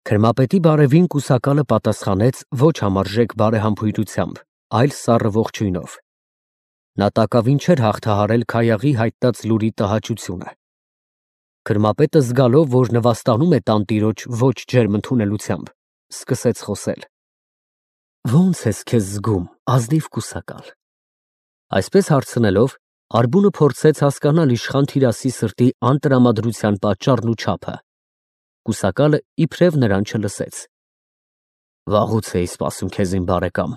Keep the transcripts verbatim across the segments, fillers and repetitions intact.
Քրմապետի բարևին կուսակալը պատասխանեց ոչ համարժեք բարեհամբույրությամբ, այլ սառը ողջույնով. նա տակավին չէր հաղթահարել Քայաղի հայտնած լուրի տհաճությունը։ Քրմապետը զգալով, որ նվաստանում է տանտիրոջ ոչ ջերմ ընդունելությամբ, սկսեց խոսել. Ո՞նց ես քեզ զգում, ազնիվ կուսակալ։ Այսպես հարցնելով, Ալբունը փորձեց հասկանալ իշխան Թիրասի սրտի անտրամադրության պատճառն ու չափը։ Կուսակալը իբրև նրան չլսեց։ Վաղուց էի սպասում քեզ, իմ բարեկամ։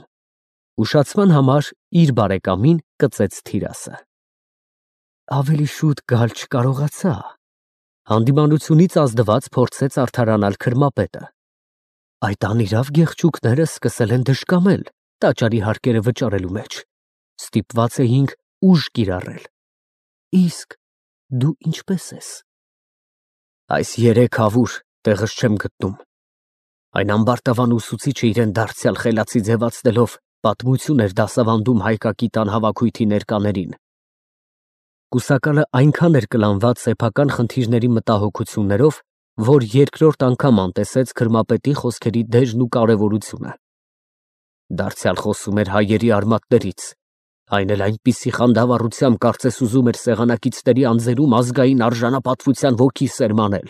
Ուշացման համար իր բարեկամին կծեց Թիրասը։ Ավելի շուտ գալ չկարողացա։ Հանդիմանությունից ազդված փորձեց արդարանալ Քրմապետը։ Այդ անիրավ գեղչուկները սկսել են դժկամել տաճարի հարկերը վճարելու մեջ։ Ստիպված էինք ուժ կիրառել։ Իսկ դու ինչպես ես։ Այս երեք հավուր տեղս չեմ գտնում։ Այն ամբարտավան ուսուցիչը իրեն դարձյալ խելացի ձևացնելով պատմություն էր դասավանդում հայկակի տան հավաքույթի ներկաներին։ Կուսակալը այնքան էր կլանված սեփական խնդիրների մտահոգություններով, որ երկրորդ անգամ անտեսեց Քրմապետի խոսքերի դեժն ու կարևորությունը։ Դարձյալ խոսում էր հայերի արմատներից, այն էլ այնպիսի խանդավառությամբ, կարծես ուզում էր սեղանակիցների անձերում ազգային արժանապատվության ոգի սերմանել։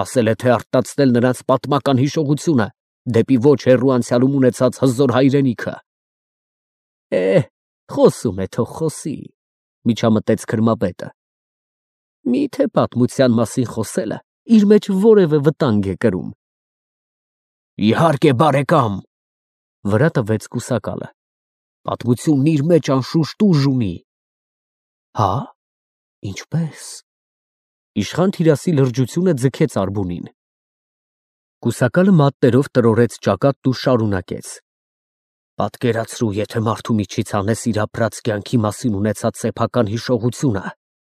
Ասել է, թե արտացնել նրանց պատմական հիշողությունը դեպի ոչ հեռու անցյալում ունեցած հզոր հայրենիքը։ Է, խոսում է, թող խոսի, միջամտեց Քրմապետը։ Միթե պատմության մասին խոսելը իր մեջ որևէ վտանգ է կրում։ Իհարկե, բարեկամ, վրա տվեց կուսակալը։ Պատմությունն իր մեջ անշուշտ ուժ ունի։ Հա՞, ինչպես։ Իշխան Թիրասի լրջությունը ձգեց Ալբունին։ Կուսակալը մատներով տրորեց ճակատն ու շարունակեց. Պատկերացրու, եթե մարդու միջից անես իր ապրած կյանքի մասին ունեցած սեփական հիշողությունը,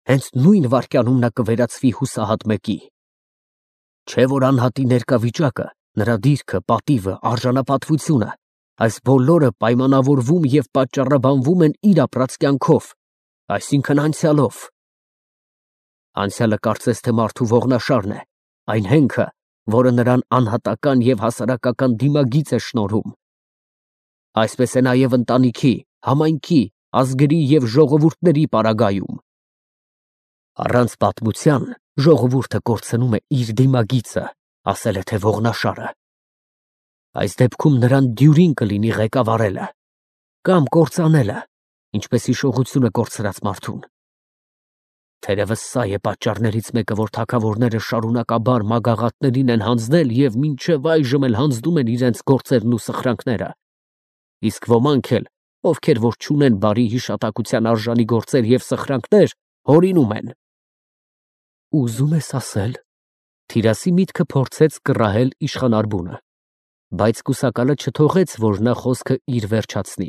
հենց նույն վայրկյանում նա կվերածվի հուսահատ մեկի։ Չէ՞ որ անհատի ներկա վիճակը, նրա դիրքը, պատիվը, արժանապատվությունը, այս բոլորը պայմանավորվում և պատճառաբանվում են իր ապրած կյանքով, այսինքն անցյալով։ Անցյալը կարծես թե մարդու ողնաշարն է, այն հենքը, որը նրան անհատական և հասարակական դիմագիծ է շնորհում։ Այսպես է նաև ընտանիքի, համայնքի, ազգերի և ժողովուրդների պարագայում։ Առանց պատմության ժողովուրդը կորցնում է իր դիմագիծը, ասել է թե ողնաշարը։ Այս դեպքում նրան դյուրին կլինի ղեկավարելը կամ կործանելը, ինչպես հիշողությունը կորցրած մարդուն։ Թերևս սա է պատճառներից մեկը, որ թագավորները շարունակաբար մագաղատներին են հանձնել և մինչև այժմ էլ հանձնում են իրենց գործերն ու սխրանքները։ Իսկ ոմանք էլ, ովքեր որ չունեն բարի հիշատակության արժանի գործեր և սխրանքներ, հորինում են։ Ուզում ես ասել, Թիրասի միտքը փորձեց կռահել իշխան Ալբունը, բայց կուսակալը չթողեց, որ նա խոսքը իր վերջացնի։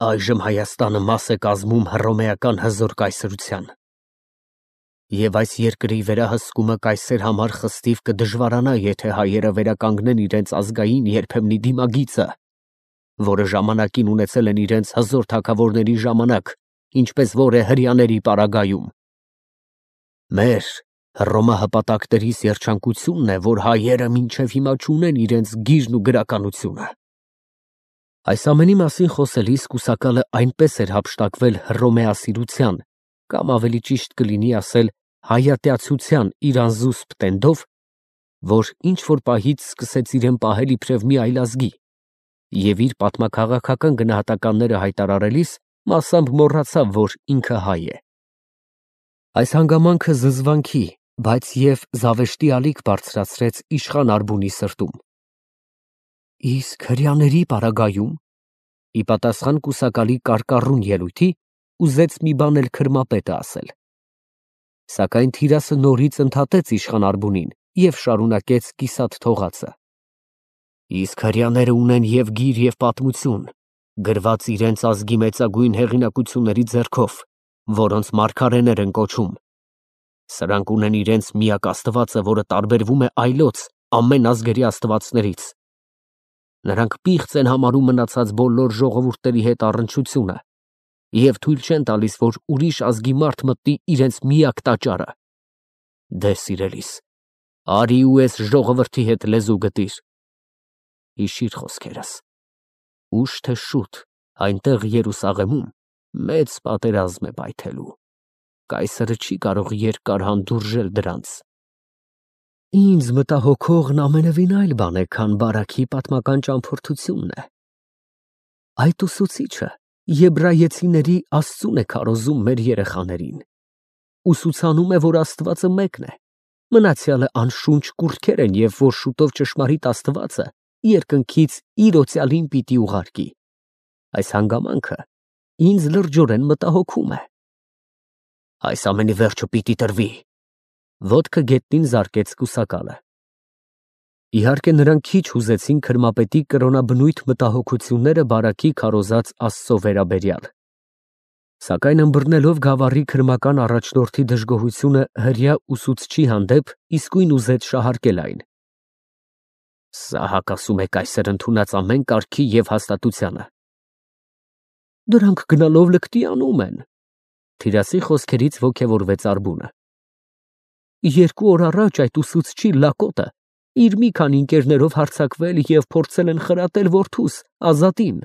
Այժմ Հայաստանը մաս է կազմում հռոմեական հզոր կայսրության։ Եվ այս երկրի վերահսկումը կայսեր համար խստիվ կդժվարանա, եթե հայերը վերականգնեն իրենց ազգային երբեմնի դիմագիծը, որը ժամանակին ունեցել են իրենց հզոր թագավորների ժամանակ, ինչպես որ է հրեաների պարագայում։ Մեր հռոմահպատակներիս երջանկությունն է, որ հայերը մինչև հիմա չունեն իրենց գիրն ու գրականությունը։ Այս ամենի մասին խոսելիս կուսակալը այնպես էր հափշտակվել հռոմեասիրության, կամ ավելի ճիշտ կլինի ասել հայատյացության իր անզուսպ տենդով, որ ինչ-որ պահից սկսեց իրեն պահել իբրև մի այլազգի, և իր պատմաքաղաքական գնահատականները հայտարարելիս մասամբ մոռացավ, որ ինքը հայ է։ Այս հանգամանքը զզվանքի, բայց և զավեշտի ալիք բարձրացրեց իշխան Ալբունի սրտում։ Իսկ հրեաների պարագայում, ի պատասխան կուսակալի կարկառուն ելույթի, ուզեց մի բան էլ Քրմապետը ասել։ Սակայն Թիրասը նորից ընդհատեց իշխան Ալբունին և շարունակեց կիսատ թողածը. Իսկ հրեաները ունեն և գիր, և պատմություն, գրված իրենց ազգի մեծագույն հեղինակությունների ձեռքով, որոնց մարգարեներ են կոչում։ Սրանք ունեն իրենց միակ աստվածը, որը տարբերվում է այլոց ամեն ազգերի աստվածներից։ Նրանք պիղծ են համարում մնացած բոլոր ժողովուրդների հետ առնչությունը և թույլ չեն տալիս, որ ուրիշ ազգի մարդ մտնի իրենց միակ տաճարը։ Դե, սիրելիս, Արի ու ես ժողովրդի հետ լեզու գտիր։ Հիշիր խոսքերս։ Ուշ թե շուտ այնտեղ Երուսաղեմում մեծ պատերազմ է պայթելու։ Կայսրը չի կարող երկար հանդուրժել դրանց։ Ինձ մտահոգողն ամենևին այլ բան է, քան բարաքի պատմական ճամփորդությունն է։ Այդ ուսուցիչը եբրայեցիների Աստծուն է քարոզում մեր երեխաներին։ Ուսուցանում է, որ Աստվածը մեկն է, մնացյալը անշունչ կուռքեր են և որ շուտով ճշմարիտ Աստվածը երկնքից իր օծյալին պիտի ուղարկի։ Այս հանգամանքը ինձ լրջորեն մտահոգում է։ Այս ամենի վերջը պիտի տրվի։ Ոտքը գետնին զարկեց կուսակալը։ Իհարկե նրանք քիչ հուզեցին քրմապետի կրոնաբնույթ մտահոգությունները բարաքի քարոզած Աստծո վերաբերյալ։ Սակայն ըմբռնելով գավառի քրմական առաջնորդի դժգոհությունը հրեա ուսուցչի հանդեպ, իսկույն ուզեց շահարկել այն։ Սա հակասում է կայսր ընդունած ամեն կարգի և հաստատությանը։ Դրանք գնալով լկտի անում են։ Թիրասի խոսքերից ոգևորվեց Արբունը։ Երկու օր առաջ այդ ուսուցչի լակոտը իր մի քանի ընկերներով հարձակվել և փորձել են խրատել որդուս Ազատին։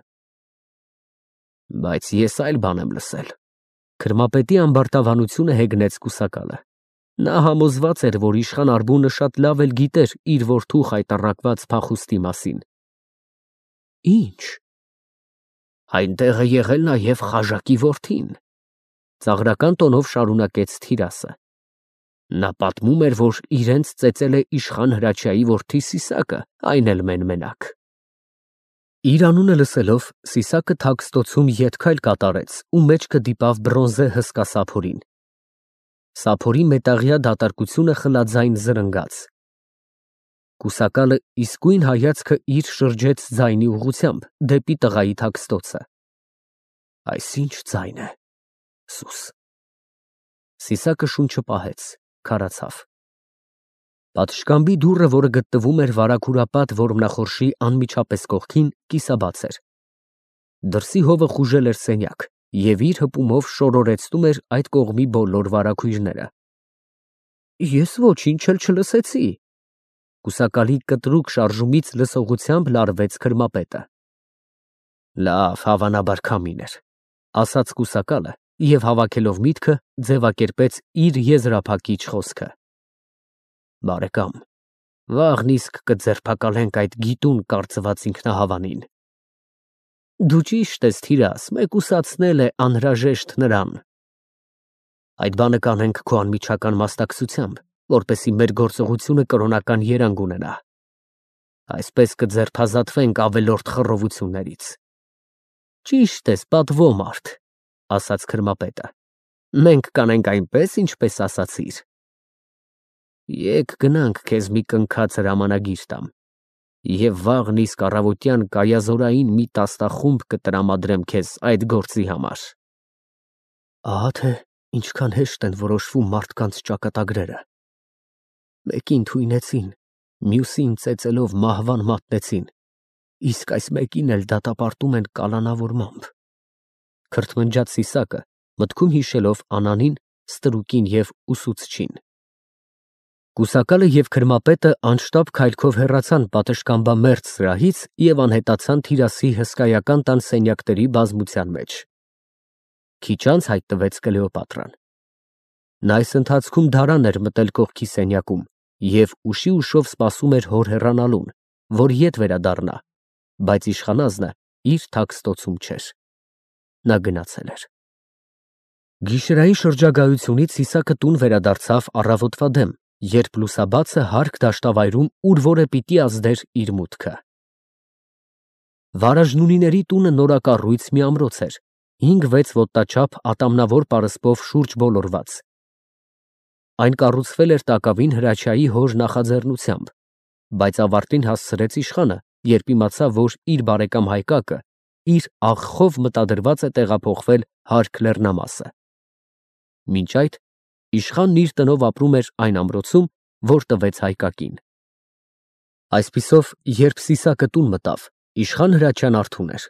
Բայց ես այլ բան եմ լսել։ Քրմապետի ամբարտավանությունը հեգնեց կուսակալը։ Նա համոզված էր, որ իշխան Արբունը շատ լավ էլ գիտեր իր որդու խայտառակված փախուստի մասին։ Ինչ։ Այնտեղ է եղել նաև Խաժակի որդին, ծաղրական տոնով շարունակեց Թիրասը։ Նա պատմում էր, որ իրենց ծեծել է իշխան Հրաչյայի որդի Սիսակը, այն էլ մեն֊մենակ։ Իր անունը լսելով, Սիսակը թաքստոցում ետքայլ կատարեց ու մեջքը դիպավ բրոնզե հսկա սափորին։ Սափորի մետաղյա դատարկությունը խլաձայն զրնգաց։ Կուսակալը իսկույն հայացքը իր շրջեց ձայնի ուղղությամբ, դեպի տղայի թաքստոցը։ Այս ինչ ձայն է, Սուս։ Սիսակը շունչը պահեց, քարացավ։ Պատշգամբի դուռը, որը գտնվում էր վարագուրապատ որմնախորշի անմիջապես կողքին, կիսաբաց էր։ Դրսի հովը խուժել էր սենյակ և իր հպումով շորորեցնում էր այդ կողմի բոլոր վարագույրները։ Ես ոչինչ էլ չլսեցի։ Կուսակալի կտրուկ շարժումից լսողությամբ լարվեց քրմապետը։ Լավ, հավանաբար քամին էր, ասաց կուսակալը և հավաքելով միտքը, ձևակերպեց իր եզրափակիչ խոսքը։ Բարեկամ, վաղն իսկ կձերբակալենք այդ գիտուն կարծված ինքնահավանին։ Դու ճիշտ ես, Թիրաս, մեկուսացնել է անհրաժեշտ նրան։ Այդ բանը կանենք քո անմիջական մասնակցությամբ, որպեսզի մեր գործողությունը կրոնական երանգ ունենա։ Այսպես կձերբազատվենք ավելորդ խռովություններից։ Ճիշտ ես, պատվո մարդ, ասաց քրմապետը։ Մենք կանենք այնպես, ինչպես ասացիր։ Եկ գնանք քեզ մի կնքած հրամանագիր տամ, և վաղն իսկ առավոտյան կայազորային մի տասնախումբ կտրամադրեմ քեզ այդ գործի համար։ Ահա թե ինչքան հեշտ են որոշվում մարդկանց ճակատագրերը։ Մեկին թույնեցին, մյուսին ծեծելով մահվան մատնեցին, իսկ այս մեկին էլ դատապարտում են կալանավորմամբ։ Քրթմնջաց Սիսակը, մտքում հիշելով Անանին, Ստրուկին և ուսուցչին։ Կուսակալը և քրմապետը անշտապ քայլքով հեռացան պատշգամբամերձ սրահից և անհետացան Թիրասի հսկայական տան սենյակների բազմության մեջ։ Քիչ անց հայտնվեց Կլեոպատրան։ Նա այս ընթացքում դարան էր մտել կողքի սենյակում և ուշի ուշով սպասում էր հոր հեռանալուն, որ ետ վերադառնա, բայց իշխանազնը իր թաքստոցում չէր։ Նա գնացել էր։ Գիշերային շրջագայությունից Սիսակը տուն վերադարձավ առավոտվա դեմ, երբ լուսաբացը հարկ դաշտավայրում ուր որ է պիտի ազդեր իր մուտքը։ Վարաժնունիների տունը նորակառույց մի ամրոց էր, հինգ֊վեց ոտնաչափ ատամնավոր պարսպով շուրջ բոլորված։ Այն կառուցվել էր տակավին Հրաչյայի հոր նախաձեռնությամբ, բայց ավարտին հասցրեց իշխանը, երբ իմացավ, որ իր բարեկամ Հայկակը իր աղխով մտադրված է տեղափոխվել հարկ լեռնամասը։ Մինչ այդ իշխանն իր տնով ապրում էր այն ամրոցում, որ տվեց Հայկակին։ Այսպիսով, երբ Սիսակը տուն մտավ, իշխան Հրաչյան արթուն էր։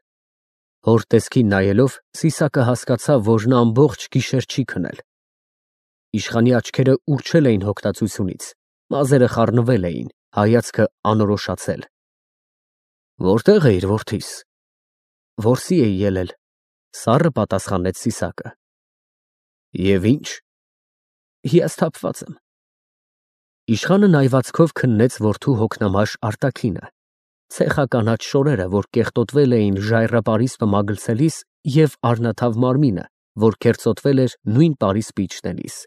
Հոր տեսքին նայելով, Սիսակը հասկացավ, որ նա ամբողջ գիշեր չի քնել։ Իշխանի աչքերը ուռչել էին հոգնածությունից, Մազերը խառնվել էին, հայացքը անորոշացել։ Որտե՞ղ էիր, որդիս։ Որսի էի ելել, սառը պատասխանեց Սիսակը։ Եվ ինչ։ Հիասթափված եմ։ Իշխանը նայվածքով քննեց որդու հոգնամաշ արտաքինը, ցեխականաչ շորերը, որ կեղտոտվել էին ժայռապարիսպը մագլցելիս, և առնաթավ մարմինը, որ քերծոտվել էր նույն պարիսպը իջնելիս։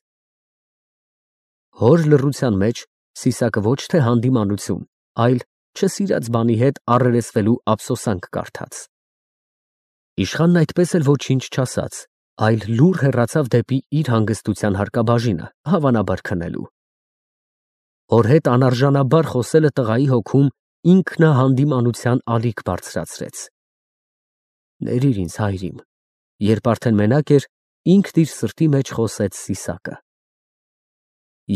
Հոր լռության մեջ Սիսակը ոչ թե հանդիմանություն, այլ չսիրած բանի հետ առերեսվելու ափսոսանք կարդաց։ Իշխանն այդպես էլ ոչինչ չասաց, այլ լուռ հեռացավ դեպի իր հանգստության հարկաբաժինը, հավանաբար քնելու։ Հոր հետ անարժանաբար խոսելը տղայի հոգում ինքնահանդիմանության ալիք բարձրացրեց։ Ներիր ինձ, հայրիմ, երբ արդեն մենակ էր, ինքն իր սրտի մեջ խոսեց Սիսակը։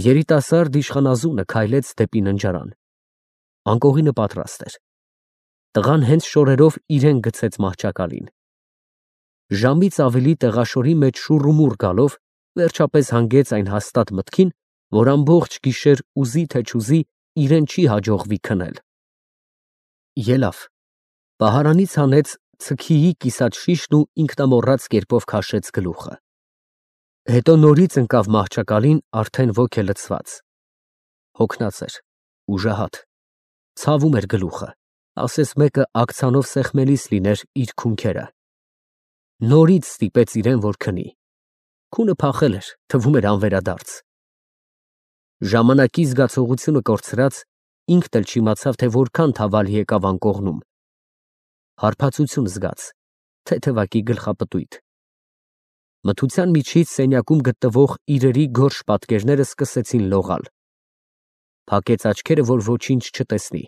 Երիտասարդ իշխանազունը քայլեց դեպի ննջարան։ Անկողինը պատրաստ էր։ Տղան հենց շորերով իրեն գցեց մահճակալին։ Ժամից ավելի տեղաշորի մեջ շուռումուռ գալով, վերջապես հանգեց այն հաստատ մտքին, որ ամբողջ գիշեր ուզի թե չուզի իրեն չի հաջողվի քնել։ Ելավ, պահարանից հանեց ցքիի կիսած շիշն ու ինքնամոռաց կերպով քաշեց գլուխը։ Հետո նորից ընկավ մահճակալին արդեն ոգելցված։ Հոգնած էր, ուժահատ, ցավում էր գլուխը, ասես մեկը աքցանով սեղմելիս լիներ իր քունքերը։ Նորից ստիպեց իրեն, որ քնի։ Քունը փախել էր, թվում էր անվերադարձ։ Ժամանակի զգացողությունը կորցրած, ինքն էլ չիմացավ, թե որքան թավալ եկավ անկողնում։ Հարբածություն զգաց, թեթևակի գլխապտույտ։ Մթության միջից սենյակում գտնվող իրերի գորշ պատկերները սկսեցին լողալ։ Փակեց աչքերը, որ ոչինչ չտեսնի։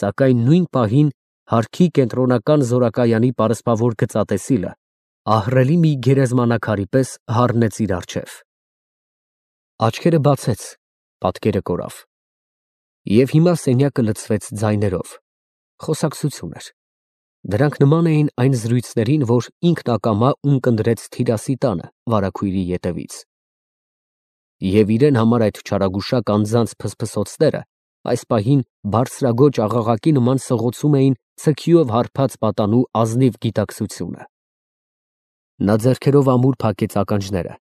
Սակայն նույն պահին հարքի կենտրոնական զորակայանի պարսպավոր գծատեսիլը ահռելի մի գերեզմանակարի պես հառնեց իր առջև։ Աչքերը բացեց, պատկերը կորավ։ Եվ հիմա սենյակը լցվեց ձայներով։ Խոսակցություն էր։ Դրանք նման էին այն զրույցներին, որ ինքն ակամա ունկնդրեց Թիրասի տանը վարագույրի ետևից։ Եվ իրեն համար այդ չարագուշակ անձանց փսփսոցները այս պահին բարձրագոչ աղաղակի նման սղոցում էին ցքիով հարբած պատանու ազնիվ գիտակցությունը։ Նա ձեռքերով ամուր փակեց ականջները,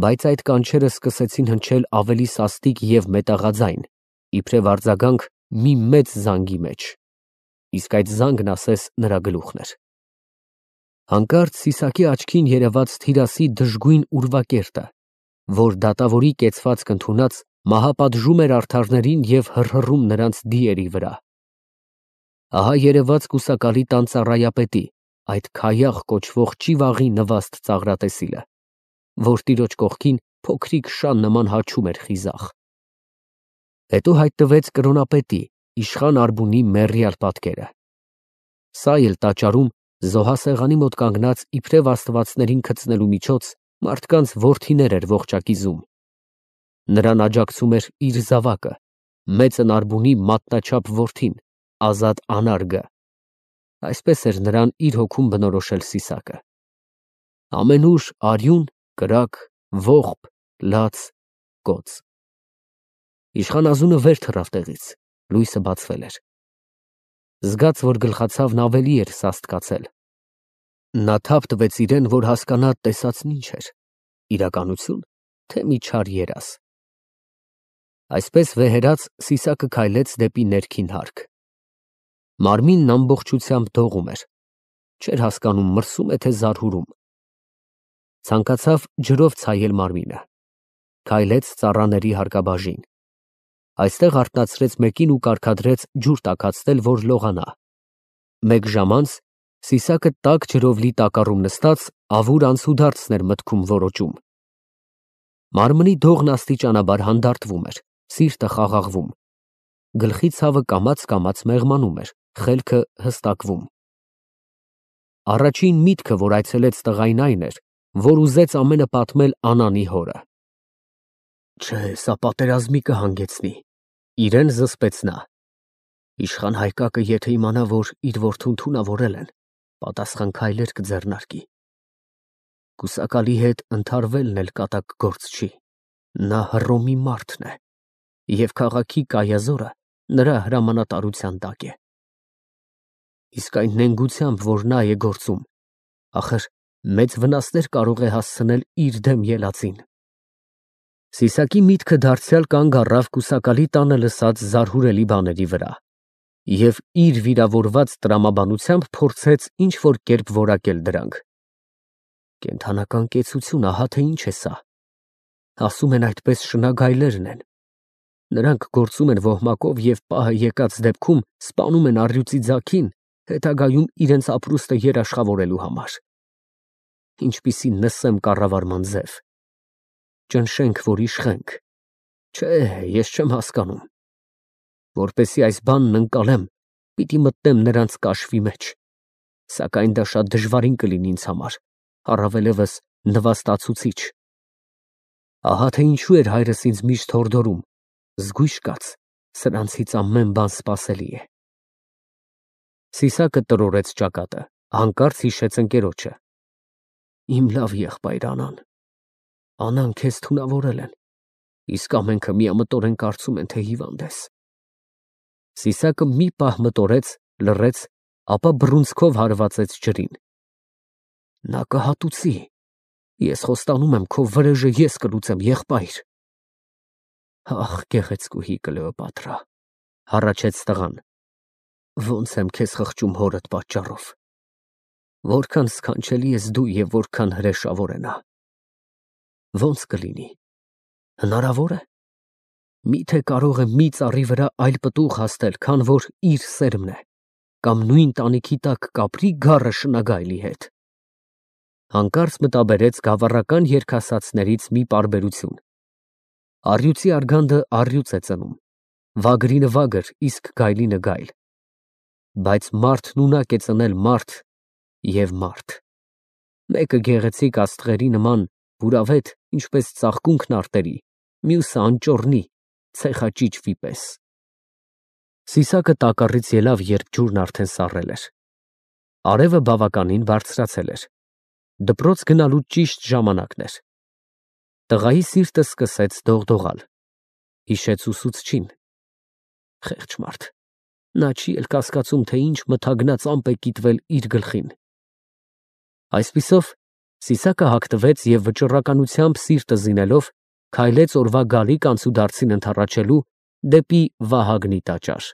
բայց այդ կանչերը սկսեցին հնչել ավելի սաստիկ և մետաղաձայն, իբրև արձագանք մի մեծ զանգի մեջ, իսկ այդ զանգն ասես նրա գլուխն էր։ Հանկարծ Սիսակի աչքին երևաց Թիրասի դժգույն ուրվակերտը, որ դատավորի կեցվածք ընդունած մահապատժում էր արդարներին և հռհռում նրանց դիերի վրա։ Ահա երևաց կուսակալի տան ծառայապետի, այդ Քայախ կոչվող ճիվաղի նվաստ ծաղրատեսիլը, որ տիրոջ կողքին փոքրիկ շան նման հաչում էր խիզախ։ Հետո հայտնվեց կրոնապետի, իշխան Արբունի մեռյալ պատկերը։ Սա էլ տաճարում զոհասեղանի մոտ կանգնած իբրև աստվածներին գցնելու միջոց մարդկանց որդիներ էր ողջակիզում։ Նրան աջակցում էր իր զավակը, մեծն Արբունի մատնաչափ որդին, Ազատ անարգը։ Այսպես էր նրան իր հոգում բնորոշել Սիսակը։ Ամենուր արյուն, կրակ, ողբ, լաց, կոծ։ Իշխանազունը վեր թռավ տեղից, լույսը բացվել էր։ Զգաց, որ գլխացավն ավելի էր սաստկացել։ Նա թափ տվեց իրեն, որ հասկանա տեսածն ինչ էր, իրականություն, թե մի չար երազ։ Այսպես վեհերած Սիսակը քայլեց դեպի ներքին հարկ։ Մարմինն ամբողջությամբ դողում էր, չէր հասկանում մրսում է, թե զարհուրում։ Ցանկացավ ջրով ցայել մարմինը։ Քայլեց ծառաների հարկաբաժին։ Այստեղ արթնացրեց մեկին ու կարգադրեց ջուր տաքացնել, որ լողանա։ Մեկ ժամ անց Սիսակը տաք ջրով լի տակառում նստած ավուր անցուդարձն էր մտքում որոճում։ Մարմնի դողն աստիճանաբար հանդարտվում էր, սիրտը խաղաղվում։ Գլխի ցավը կամաց-կամաց մեղմանում էր, խելքը հստակվում։ Առաջին միտքը, որ այցելեց տղային, այն էր, որ ուզեց ամենը պատմել Անանի հորը։ Չէ, սա պատերազմի կհանգեցնի, իրեն զսպեց նա։ Իշխան Հայկակը եթե իմանա, որ իր որդուն թունավորել են, պատասխան քայլեր կձեռնարկի։ Կուսակալի հետ ընդհարվելն էլ կատակ գործ չի, նա Հռոմի մարդն է, և քաղաքի կայազորը նրա հրամանատարության տակ է։ Իսկ այն նենգությամբ, որ նա է գործում, ախր մեծ վնասներ կարող է հասցնել իր դեմ ելածին։ Սիսակի միտքը դարձյալ կանգ առավ կուսակալի տանը լսած զարհուրելի բաների վրա և իր վիրավորված տրամաբանությամբ փորձեց ինչ-որ կերպ որակել դրանք։ Կենդանական կեցություն, ահա թե ինչ է սա։ Ասում են այդպես շնագայլերն են։ Նրանք գործում են ոհմակով և պահը եկած դեպքում սպանում են առյուծի ձագին, հետագայում իրենց ապրուստը երաշխավորելու համար։ Ինչպիսի նսեմ կառավարման ձև։ Ճնշենք, որ իշխենք։ Չէ, ես չեմ հասկանում։ Որպեսզի այս բանն ընկալեմ, պիտի մտնեմ նրանց կաշվի մեջ, սակայն դա շատ դժվարին կլինի ինձ համար, առավելևս նվաստացուցիչ։ Ահա թե ինչու էր հայրս ինձ միշտ հորդորում. զգույշ կաց, սրանցից ամեն բան սպասելի է։ Սիսակը տրորեց ճակատը, հանկարծ հիշեց ընկերոջը։ Իմ լավ եղբայր Անան։ Անան քեզ թունավորել են, իսկ ամենքը միամտորեն կարծում են, թե հիվանդ ես։ Սիսակը մի պահ մտորեց, լռեց, ապա բռունցքով հարվածեց ջրին։ Նա կհատուցի։ Ես խոստանում եմ, քո վրեժը ես կլուծեմ, եղբայր։ Ախ, գեղեցկուհի Կլեոպատրա, հառաչեց տղան։ Ոնց եմ քեզ խղճում հորդ պատճառով։ Որքան սքանչելի ես դու և որքան հրեշավոր է նա։ Ոնց կլինի։ Հնարավոր է։ Միթե կարող է մի ծառի վրա այլ պտուղ հասնել, քան որ իր սերմն է, կամ նույն տանիքի տակ կապրի գառը շնագայլի հետ։ Հանկարծ մտաբերեց գավառական երգասացներից մի պարբերություն. առյուծի արգանդը առյուծ է ծնում, վագրինը վագր, իսկ գայլինը գայլ, բայց մարդն ունակ է ծնել մարդ և մարդ։ Մեկը գեղեցիկ աստղերի նման բուրավետ, ինչպես ծաղկունքն արտերի, մյուսը անճոռնի, ցեխաճիճվի պես։ Սիսակը տակառից ելավ, երբ ջուրն արդեն սառել էր։ Արևը բավականին բարձրացել էր։ Դպրոց գնալու ճիշտ ժամանակն էր։ Տղայի սիրտը սկսեց դողդողալ։ Հիշեց ուսուցչին։ Խեղճ մարդ։ Նա չի էլ կասկածում, թե ինչ մթագնած ամպ է կիտվել իր գլխին։ Այսպիսով, Սիսակը հագնվեց և վճռականությամբ սիրտը զինելով, քայլեց օրվա գալիք անցուդարձին ընդառաջելու դեպի Վահագնի տաճար։